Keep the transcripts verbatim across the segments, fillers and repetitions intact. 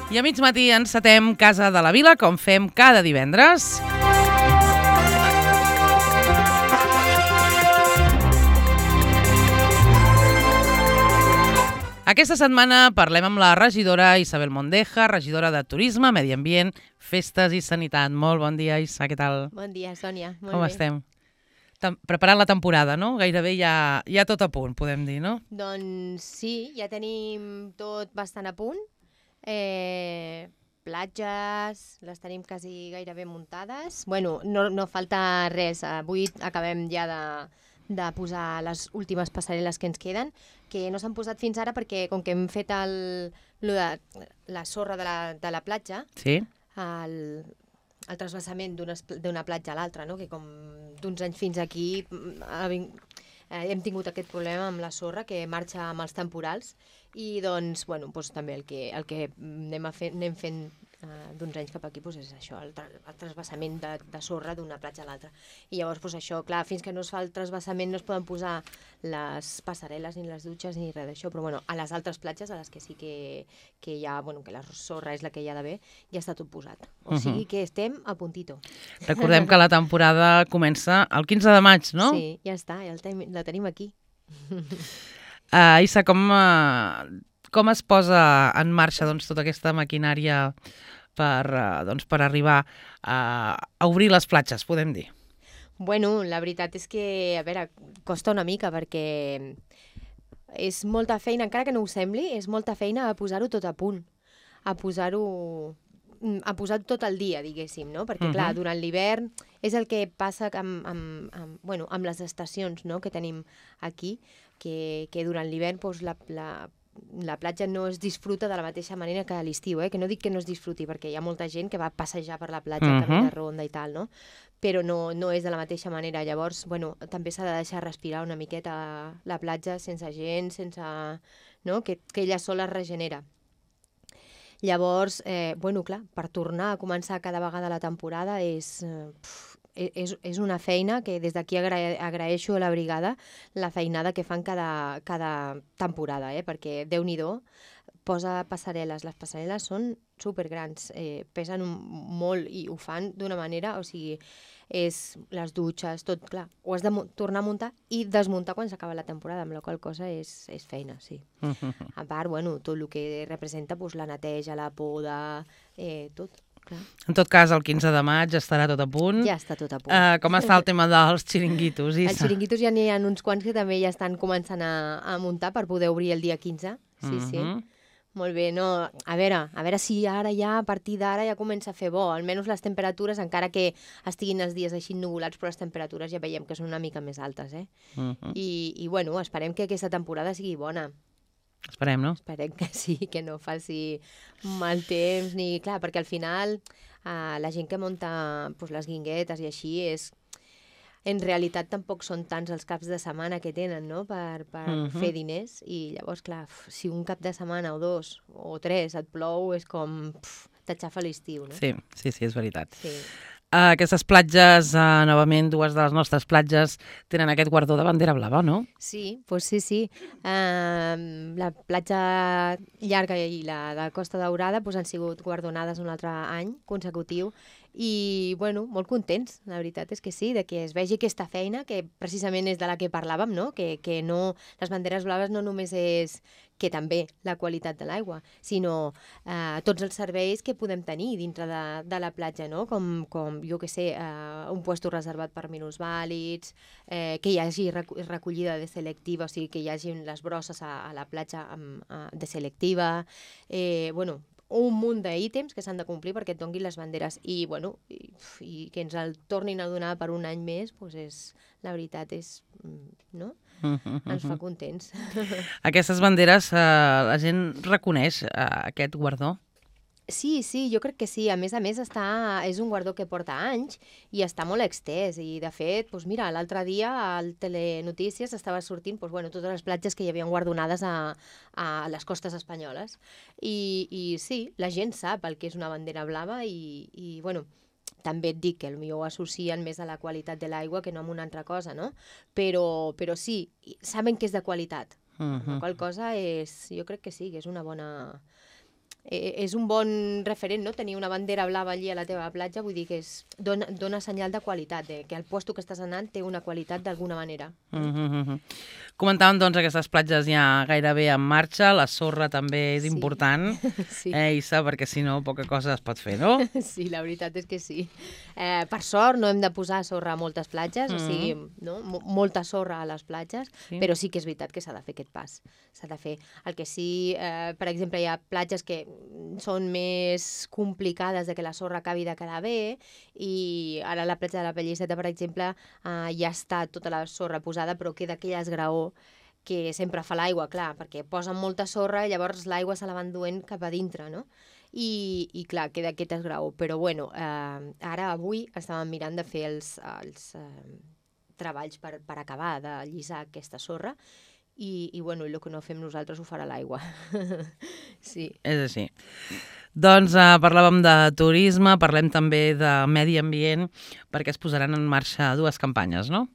I a mig matí encetem Casa de la Vila, com fem cada divendres. Aquesta setmana parlem amb la regidora Isabel Mondeja, regidora de Turisme, Medi Ambient, Festes i Sanitat. Molt bon dia, Isa, què tal? Bon dia, Sònia. Molt Com bé. estem? Preparant la temporada, no? Gairebé ja, ja tot a punt, podem dir, no? Doncs sí, ja tenim tot bastant a punt. Eh, platges, les tenim quasi gairebé muntades. Bueno, no, no falta res. Avui acabem ja de, de posar les últimes passarel·les que ens queden, que no s'han posat fins ara perquè com que hem fet el, lo de, la sorra de la, de la platja, Sí. el, el transvasament d'una platja a l'altra, no? Que com d'uns anys fins aquí ha ving... eh, hem tingut aquest problema amb la sorra que marxa amb els temporals i doncs, bueno, doncs també el que, el que anem, a fer, anem fent eh, d'uns anys cap aquí doncs és això, el, tra el transvasament de, de sorra d'una platja a l'altra. I llavors doncs això, clar, fins que no es fa el transvasament no es poden posar les passarel·les ni les dutxes ni res d'això, però bueno, a les altres platges, a les que sí que, que hi ha, bueno, que la sorra és la que hi ha d'haver, ja està tot posat. O sigui que estem a puntito. Recordem que la temporada comença el quinze de maig, no? Sí, ja està, ja el ten la tenim aquí. Uh, Isa, com, uh, com es posa en marxa doncs, tota aquesta maquinària per, uh, doncs, per arribar a, a obrir les platges, podem dir? Bueno, la veritat és que, a veure, costa una mica perquè és molta feina, encara que no ho sembli, és molta feina a posar-ho tot a punt, a posar-ho a posar tot el dia, diguéssim, no? Perquè, clar, durant l'hivern és el que passa amb, amb, amb, bueno, amb les estacions, no?, que tenim aquí, que, que durant l'hivern doncs, la, la, la platja no es disfruta de la mateixa manera que a l'estiu, eh? Que no dic que no es disfruti, perquè hi ha molta gent que va passejar per la platja, uh-huh. camí de ronda i tal, no? Però no, no és de la mateixa manera. Llavors, bueno, també s'ha de deixar respirar una miqueta la platja sense gent, sense... no? Que, que ella sola es regenera. Llavors, eh, bueno, clar, per tornar a començar cada vegada la temporada és, eh, és, és una feina que des d'aquí agra agraeixo a la brigada la feinada que fan cada, cada temporada, eh? Perquè Déu-n'hi-do, posa passarel·les. Les passarel·les són supergrans, eh, pesen un, molt i ho fan d'una manera, o sigui, és les dutxes, tot, clar, ho has de tornar a muntar i desmuntar quan s'acaba la temporada, amb la qual cosa és, és feina, sí. A part, bueno, tot el que representa, doncs, la neteja, la poda, eh, tot, clar. En tot cas, el quinze de maig estarà tot a punt. Ja està tot a punt. Uh, com està el tema dels xiringuitos, Isa? Els xiringuitos ja n'hi ha uns quants que també ja estan començant a, a muntar per poder obrir el dia quinze, sí, uh-huh. sí. Molt bé, no, a veure, a veure si ara ja, a partir d'ara ja comença a fer bo, almenys les temperatures, encara que estiguin els dies així nuvolats, però les temperatures ja veiem que són una mica més altes, eh? Uh-huh. I, I, bueno, esperem que aquesta temporada sigui bona. Esperem, no? Esperem que sí, que no faci mal temps, ni... Clar, perquè al final eh, la gent que munta pues, les guinguetes i així és... En realitat tampoc són tants els caps de setmana que tenen, no?, per, per uh-huh. fer diners. I llavors, clar, si un cap de setmana o dos o tres et plou, és com t'aixafa l'estiu, no? Sí, sí, sí, és veritat. Sí. Uh, aquestes platges, uh, novament, dues de les nostres platges, tenen aquest guardó de bandera blava, no? Sí, doncs sí, sí. Uh, la platja llarga i la de Costa Daurada doncs, han sigut guardonades un altre any consecutiu i, bueno, molt contents, la veritat és que sí, de que es vegi aquesta feina, que precisament és de la que parlàvem, no? Que, que no, les banderes blaves no només és que també la qualitat de l'aigua, sinó eh, tots els serveis que podem tenir dintre de, de la platja, no? Com, com jo que sé, eh, un puesto reservat per minusvàlids, eh, que hi hagi recollida de selectiva, o sigui, que hi hagi les brosses a, a la platja amb, a, de selectiva, eh, bueno, un munt d'ítems que s'han de complir perquè et donguin les banderes i, bueno, i, i que ens el tornin a donar per un any més, doncs és, la veritat és, no? Uh-huh. Ens fa contents. Aquestes banderes, eh, la gent reconeix eh, aquest guardó? Sí, sí, jo crec que sí. A més a més, està, és un guardó que porta anys i està molt extès. I, de fet, doncs mira, l'altre dia al Telenotícies estava sortint doncs, bueno, totes les platges que hi havien guardonades a, a les costes espanyoles. I, I sí, la gent sap el que és una bandera blava i, i bueno, també et dic que potser ho associen més a la qualitat de l'aigua que no a una altra cosa, no? Però, però sí, saben que és de qualitat. Uh -huh. La qual cosa és, jo crec que sí, que és una bona... Eh, és un bon referent, no? Tenir una bandera blava allí a la teva platja, vull dir que és, dona, dona senyal de qualitat, de que el lloc que estàs anant té una qualitat d'alguna manera. Uh -huh. Comentàvem, doncs, aquestes platges ja gairebé en marxa, la sorra també és sí. important, sí. eh, Issa, perquè si no poca cosa es pot fer, no? Sí, la veritat és que sí. Eh, per sort no hem de posar sorra a moltes platges, mm -hmm. o sigui, no? molta sorra a les platges, sí. però sí que és veritat que s'ha de fer aquest pas. S'ha de fer. El que sí, eh, per exemple, hi ha platges que són més complicades de que la sorra acabi de quedar bé, i ara a la platja de la Pelliceta, per exemple, eh, ja està tota la sorra posada, però queda aquell esgraó que sempre fa l'aigua, clar, perquè posen molta sorra i llavors l'aigua se la van duent cap a dintre, no? I, i clar, queda aquest esgraó. Però bueno, eh, ara avui estàvem mirant de fer els, els eh, treballs per, per acabar de llisar aquesta sorra, i, i bueno, el que no fem nosaltres ho farà l'aigua. Sí. És així. Doncs eh, parlàvem de turisme, parlem també de medi ambient, perquè es posaran en marxa dues campanyes, no?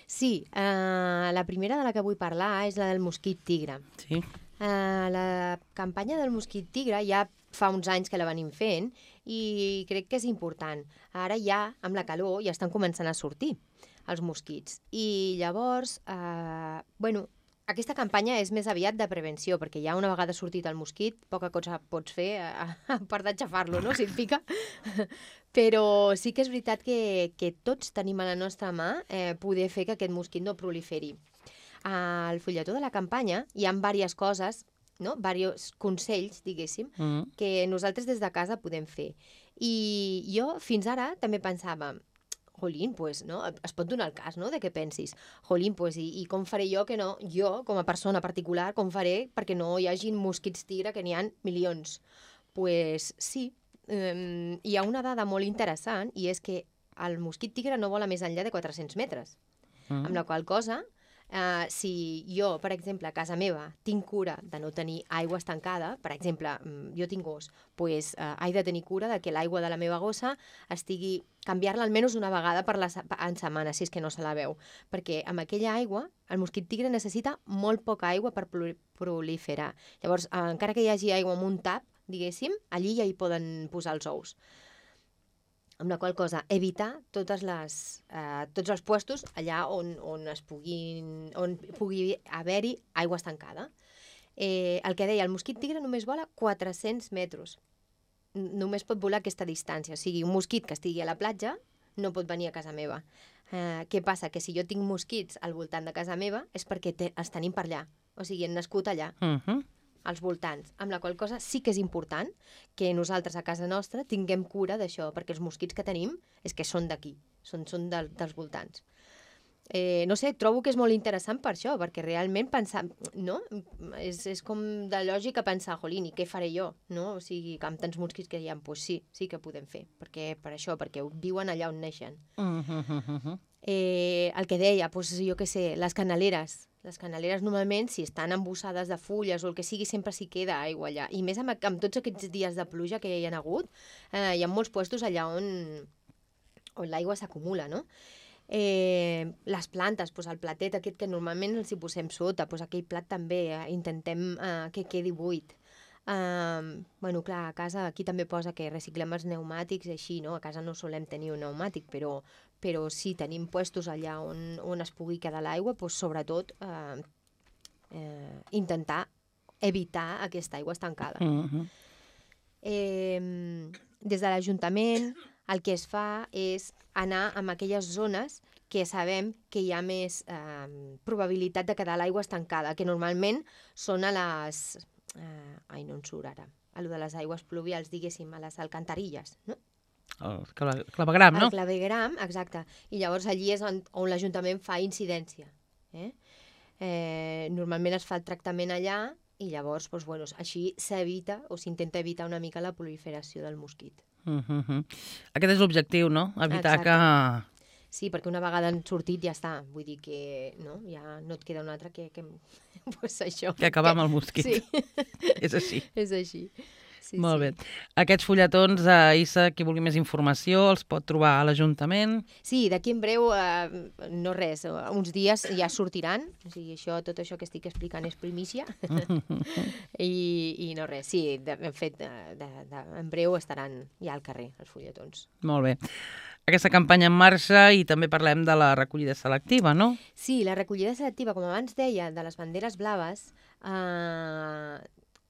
Sí, eh, la primera de la que vull parlar és la del mosquit tigre. Sí. Eh, la campanya del mosquit tigre ja fa uns anys que la venim fent i crec que és important. Ara ja, amb la calor, ja estan començant a sortir els mosquits. I llavors, eh, bueno, aquesta campanya és més aviat de prevenció, perquè ja una vegada sortit el mosquit, poca cosa pots fer a, a part d'aixafar-lo, no?, si et pica. Però sí que és veritat que, que tots tenim a la nostra mà eh, poder fer que aquest mosquit no proliferi. Al fulletó de la campanya hi ha diverses coses, no?, diversos consells, diguéssim, mm -hmm. que nosaltres des de casa podem fer. I jo fins ara també pensava, jolín, pues, no? Es pot donar el cas, no?, de què pensis. Jolín, pues, i, i com faré jo que no, jo, com a persona particular, com faré perquè no hi hagi mosquits tigre, que n'hi ha milions? Pues sí, um, hi ha una dada molt interessant, i és que el mosquit tigre no vola més enllà de quatre-cents metres. Mm. Amb la qual cosa, Uh, si jo, per exemple, a casa meva tinc cura de no tenir aigua estancada, per exemple, jo tinc gos, pues, uh, he de tenir cura de que l'aigua de la meva gossa estigui, canviar-la almenys una vegada per la, en setmana, si és que no se la veu, perquè amb aquella aigua el mosquit tigre necessita molt poca aigua per proliferar. Llavors, uh, encara que hi hagi aigua amb un tap, diguéssim, allí ja hi poden posar els ous. Amb la qual cosa, evitar totes les, eh, tots els puestos allà on, on, es puguin, on pugui haver-hi aigua estancada. Eh, el que deia, el mosquit tigre només vola quatre-cents metres. Només pot volar aquesta distància. O sigui, un mosquit que estigui a la platja no pot venir a casa meva. Eh, què passa? Que si jo tinc mosquits al voltant de casa meva és perquè te, els tenim per allà. O sigui, han nascut allà. Uh -huh. Als voltants, amb la qual cosa sí que és important que nosaltres a casa nostra tinguem cura d'això, perquè els mosquits que tenim és que són d'aquí, són, són de, dels voltants. Eh, no sé, trobo que és molt interessant per això, perquè realment pensar, no? És, és com de lògica pensar, jolín, i què faré jo? No? O sigui, amb tants mosquits que hi ha, doncs sí, sí que podem fer, perquè, per això, perquè viuen allà on neixen. Uh -huh. eh, el que deia, doncs jo què sé, les canaleres, Les canaleres normalment, si estan embossades de fulles o el que sigui, sempre s'hi queda aigua allà. I més amb, amb tots aquests dies de pluja que hi ha hagut, eh, hi ha molts puestos allà on, on l'aigua s'acumula, no? Eh, les plantes, doncs el platet aquest que normalment els hi posem sota, doncs aquell plat també eh, intentem eh, que quedi buit. Uh, bueno, clar, a casa aquí també posa que reciclem els pneumàtics i així, no? A casa no solem tenir un pneumàtic, però, però sí, tenim puestos allà on, on es pugui quedar l'aigua, doncs sobretot uh, uh, intentar evitar aquesta aigua estancada. Uh-huh. eh, des de l'Ajuntament el que es fa és anar a aquelles zones que sabem que hi ha més eh, probabilitat de quedar l'aigua estancada, que normalment són a les... Uh, ai, no en surt ara. A lo de les aigües pluvials, diguéssim, a les alcantarilles, no? El clavegram, no? El clavegram, exacte. I llavors allí és on, on l'Ajuntament fa incidència. Eh? Eh, normalment es fa el tractament allà i llavors, doncs, bueno, així s'evita o s'intenta evitar una mica la proliferació del mosquit. Uh -huh. Aquest és l'objectiu, no? Evitar exacte. que... Sí, perquè una vegada han sortit ja està. Vull dir que no, ja no et queda un altre que... que pues això. Que acabar que... amb el mosquit. Sí. És així. És així. Sí, Molt sí. bé. Aquests fulletons, eh, Issa, qui vulgui més informació, els pot trobar a l'Ajuntament. Sí, d'aquí en breu, eh, no res, eh, uns dies ja sortiran, o sigui, això, tot això que estic explicant és primícia, I, i no res, sí, de, de fet, de, de, de, en breu estaran ja al carrer, els fulletons. Molt bé. Aquesta campanya en marxa i també parlem de la recollida selectiva, no? Sí, la recollida selectiva, com abans deia, de les banderes blaves, eh,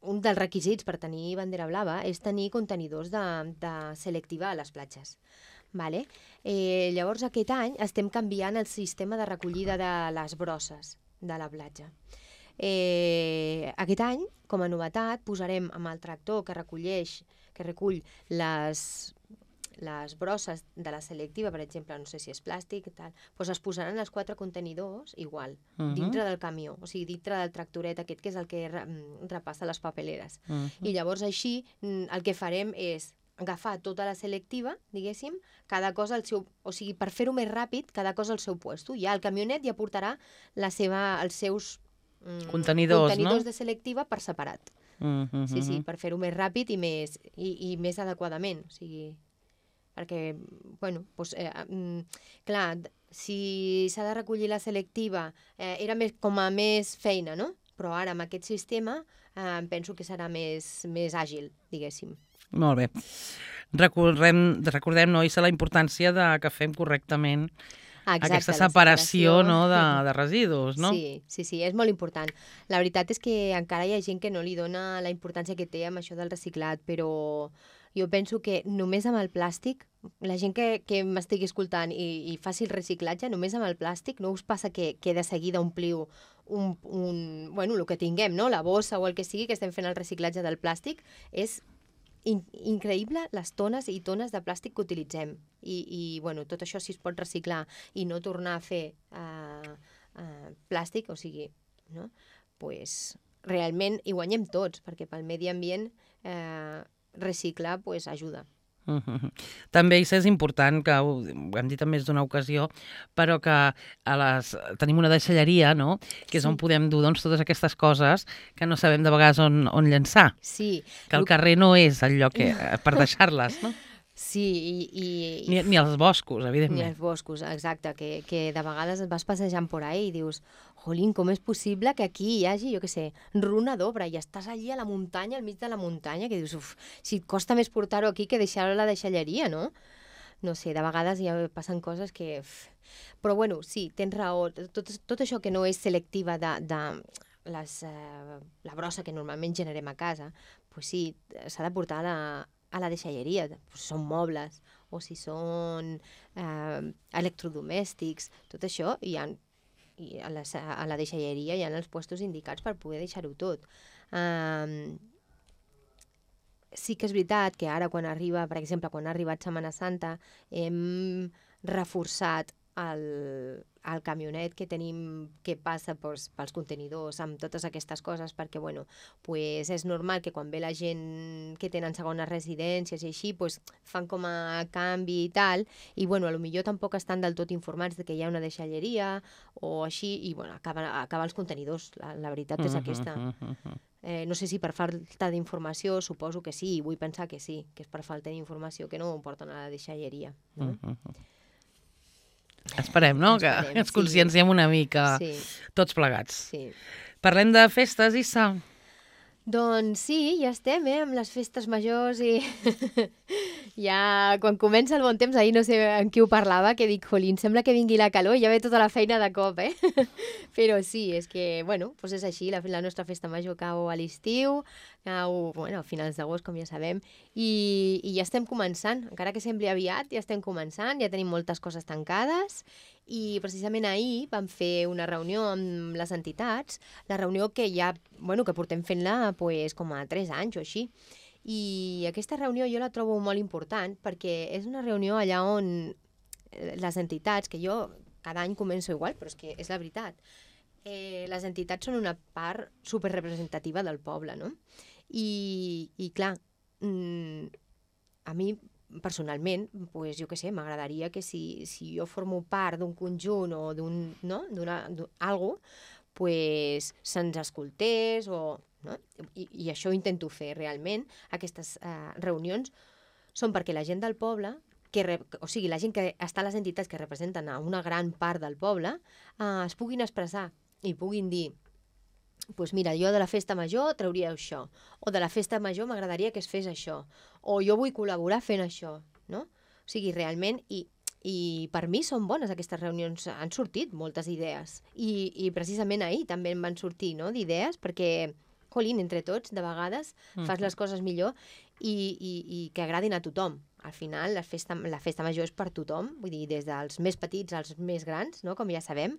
un dels requisits per tenir bandera blava és tenir contenidors de, de selectiva a les platges. Vale? Eh, llavors, aquest any estem canviant el sistema de recollida de les brosses de la platja. Eh, aquest any, com a novetat, posarem amb el tractor que recolleix, que recull les, les brosses de la selectiva, per exemple, no sé si és plàstic, tal, doncs es posaran els quatre contenidors igual, uh -huh. dintre del camió, o sigui, dintre del tractoret aquest, que és el que re, repassa les papeleres. Uh -huh. I llavors així el que farem és agafar tota la selectiva, diguéssim, cada cosa al seu... O sigui, per fer-ho més ràpid, cada cosa al seu puesto. Ja el camionet ja portarà la seva, els seus mm, contenidors, contenidors no? de selectiva per separat. Uh -huh. Sí, sí, per fer-ho més ràpid i més, i, i més adequadament. O sigui, perquè, bueno, doncs, eh, mm, clar, si s'ha de recollir la selectiva, eh, era més, com a més feina, no? Però ara, amb aquest sistema, eh, penso que serà més, més àgil, diguéssim. Molt bé. Recordem, recordem no, Issa, la importància de que fem correctament Exacte, aquesta separació, separació no, de, de residus, no? Sí, sí, sí, és molt important. La veritat és que encara hi ha gent que no li dona la importància que té amb això del reciclat, però jo penso que només amb el plàstic, la gent que, que m'estigui escoltant i, i faci el reciclatge, només amb el plàstic, no us passa que, que de seguida ompliu un, un, bueno, el que tinguem, no? La bossa o el que sigui que estem fent el reciclatge del plàstic, és In, increïble les tones i tones de plàstic que utilitzem. I, i bueno, tot això si es pot reciclar i no tornar a fer uh, uh, plàstic, o sigui, no? Pues, realment hi guanyem tots, perquè pel medi ambient eh, reciclar pues, ajuda. Uh -huh. També és important, que ho, ho hem dit en més d'una ocasió, però que a les, tenim una deixalleria, no?, que és sí. on podem dur doncs, totes aquestes coses que no sabem de vegades on, on llançar. Sí. Que el carrer no és el lloc que, per deixar-les, no? Sí, i... i... Ni, ni els boscos, evidentment. Ni els boscos, exacte, que, que de vegades et vas passejant por ahí i dius, jolín, com és possible que aquí hi hagi, jo què sé, runa d'obra, i estàs allí a la muntanya, al mig de la muntanya, que dius, uf, si et costa més portar-ho aquí que deixar-ho a la deixalleria, no? No sé, de vegades ja passen coses que... Uf. Però bueno, sí, tens raó, tot, tot això que no és selectiva de, de les, eh, la brossa que normalment generem a casa, pues sí, s'ha de portar a la, a la deixalleria, si són mobles o si són eh, electrodomèstics, tot això, hi ha, i a, la, a la deixalleria hi ha els puestos indicats per poder deixar-ho tot. Um, sí que és veritat que ara quan arriba, per exemple, quan ha arribat Setmana Santa, hem reforçat el, el camionet que tenim que passa pels, pels contenidors amb totes aquestes coses, perquè bueno, pues és normal que quan ve la gent que tenen segones residències i així, pues fan com a canvi i tal, i bueno, potser tampoc estan del tot informats de que hi ha una deixalleria o així, i bueno, acaba, acaba els contenidors, la, la veritat és aquesta. Eh, no sé si per falta d'informació, suposo que sí, vull pensar que sí, que és per falta d'informació que no ho porten a la deixalleria, no? Esperem, no? Esperem, que ens conscienciem sí. una mica, sí. tots plegats. Sí. Parlem de festes, Issa? Doncs sí, ja estem, eh, amb les festes majors i ja quan comença el bon temps, ahir no sé amb qui ho parlava, que dic, jolín, sembla que vingui la calor i ja ve tota la feina de cop, eh? Però sí, és que, bueno, doncs és així, la, la nostra festa major cau a l'estiu, cau, bueno, a finals d'agost, com ja sabem, i, i ja estem començant, encara que sembli aviat, ja estem començant, ja tenim moltes coses tancades, i precisament ahir vam fer una reunió amb les entitats, la reunió que ja, bueno, que portem fent-la pues, com a tres anys o així. I aquesta reunió jo la trobo molt important perquè és una reunió allà on les entitats, que jo cada any començo igual, però és que és la veritat, eh, les entitats són una part superrepresentativa del poble, no? I, i clar, mm, a mi personalment, pues, jo què sé, m'agradaria que si, si jo formo part d'un conjunt o d'un, no, d'una, d'algú, pues, se'ns escoltés o, no? I, I això ho intento fer realment. Aquestes eh, reunions són perquè la gent del poble, que re, o sigui, la gent que està a les entitats que representen a una gran part del poble, eh, es puguin expressar i puguin dir, pues mira, jo de la festa major trauria això, o de la festa major m'agradaria que es fes això, o jo vull col·laborar fent això, no? O sigui, realment, i, i per mi són bones aquestes reunions, han sortit moltes idees, i, i precisament ahir també em van sortir, no?, d'idees, perquè, jolín, entre tots, de vegades, fas les coses millor i, i, i que agradin a tothom. Al final, la festa, la festa major és per tothom, vull dir, des dels més petits als més grans, no?, com ja sabem,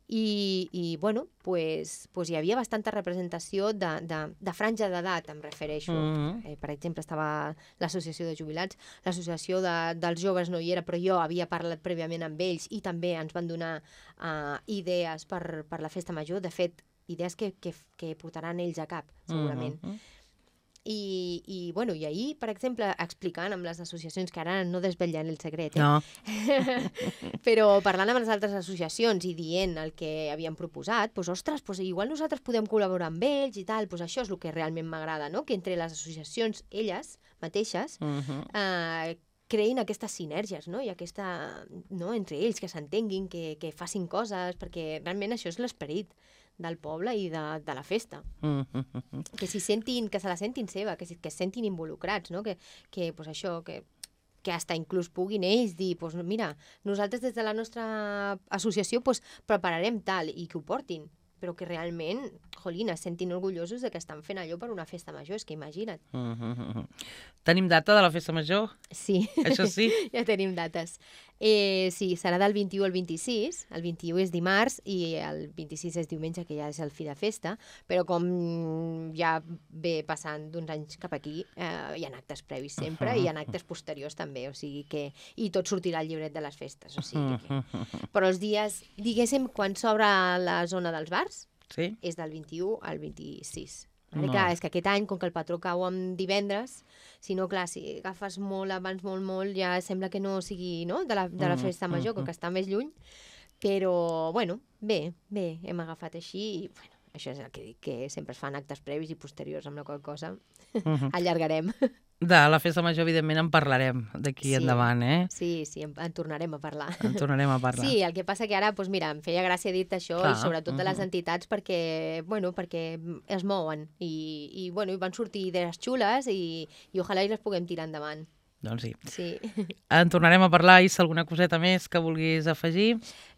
i, i bueno, pues, pues hi havia bastanta representació de, de, de franja d'edat, em refereixo. Mm-hmm. eh, per exemple, estava l'associació de jubilats, l'associació de, dels joves no hi era, però jo havia parlat prèviament amb ells i també ens van donar uh, idees per, per la festa major, de fet, idees que, que, que portaran ells a cap, segurament. Mm-hmm. I, i, bueno, i ahir, per exemple, explicant amb les associacions, que ara no desvetllant el secret, eh? No. Però parlant amb les altres associacions i dient el que havien proposat, doncs, ostres, doncs, igual nosaltres podem col·laborar amb ells i tal, doncs això és el que realment m'agrada, no? Que entre les associacions, elles mateixes, uh-huh. eh, creïn aquestes sinergies, no? I aquesta, no? Entre ells, que s'entenguin, que, que facin coses, perquè realment això és l'esperit del poble i de, de la festa. Mm-hmm. Que s'hi sentin, que se la sentin seva, que, que es sentin involucrats, no? Que, que pues això, que, que hasta inclús puguin ells dir, pues mira, nosaltres des de la nostra associació pues, prepararem tal, i que ho portin, però que realment, jolín, es sentin orgullosos de que estan fent allò per una festa major, és que imagina't. Mm-hmm. Tenim data de la festa major? Sí. Això sí? Ja tenim dates. Eh, sí, serà del vint-i-u al vint-i-sis, el vint-i-u és dimarts i el vint-i-sis és diumenge, que ja és el fi de festa, però com ja ve passant d'uns anys cap aquí, eh, hi ha actes previs sempre, uh-huh. i hi ha actes posteriors també, o sigui que... I tot sortirà al llibret de les festes, o sigui que... Però els dies, diguéssim, quan s'obre la zona dels bars, sí? És del vint-i-u al vint-i-sis. No. Clar, és que aquest any, com que el patró cau en divendres, si no, clar, si agafes molt abans, molt, molt, ja sembla que no sigui, no?, de la, de la festa major, com que està més lluny. Però, bueno, bé, bé, hem agafat així i, bueno, això és el que dic, que sempre es fan actes previs i posteriors, amb la qual cosa uh-huh. allargarem. De la festa major, evidentment, en parlarem d'aquí sí, endavant, eh? Sí, sí, en, en tornarem a parlar. En tornarem a parlar. Sí, el que passa que ara, doncs mira, em feia gràcia dir-te això, clar, i sobretot de les entitats, perquè, bueno, perquè es mouen i, i, bueno, i van sortir idees xules i, i ojalà i les puguem tirar endavant. Doncs sí. Sí. En tornarem a parlar, i si alguna coseta més que vulguis afegir?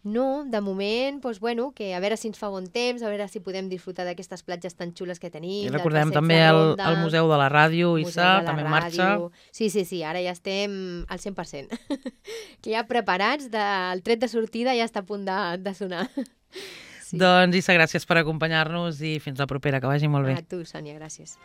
No, de moment, doncs, bueno, que a veure si ens fa bon temps, a veure si podem disfrutar d'aquestes platges tan xules que tenim. I recordem també el, el Museu de la Ràdio, Issa, també en marxa. Sí, sí, sí, ara ja estem al cent per cent. Que ja preparats, de, el tret de sortida ja està a punt de, de sonar. Sí. Doncs, Issa, gràcies per acompanyar-nos i fins la propera, que vagi molt bé. A tu, Sònia, gràcies.